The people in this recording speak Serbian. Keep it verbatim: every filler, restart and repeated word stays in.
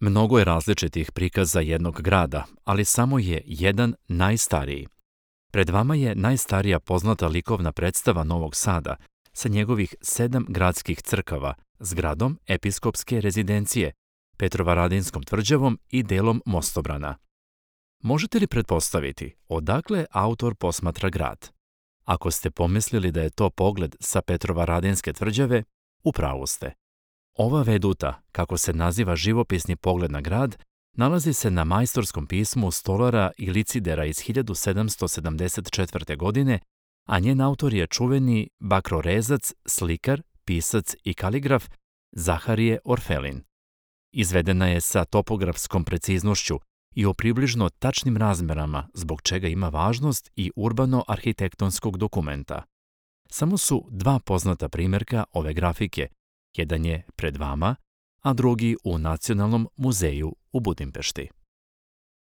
Mnogo je različitih prikaza jednog grada, ali samo je jedan najstariji. Pred vama je najstarija poznata likovna predstava Novog Sada sa njegovih sedam gradskih crkava, zgradom episkopske rezidencije, Petrovaradinskom tvrđavom i delom mostobrana. Možete li pretpostaviti odakle autor posmatra grad? Ako ste pomislili da je to pogled sa Petrovaradinske tvrđave, u pravu ste. Ova veduta, kako se naziva živopisni pogled na grad, nalazi se na majstorskom pismu stolara i licidera iz hiljadu sedamsto sedamdeset četvrte. godine, a njen autor je čuveni bakrorezac, slikar, pisac i kaligraf Zaharije Orfelin. Izvedena je sa topografskom preciznošću i o približno tačnim razmerama, zbog čega ima važnost i urbano-arhitektonskog dokumenta. Samo su dva poznata primjerka ove grafike, jedan je pred vama, a drugi u Nacionalnom muzeju u Budimpešti.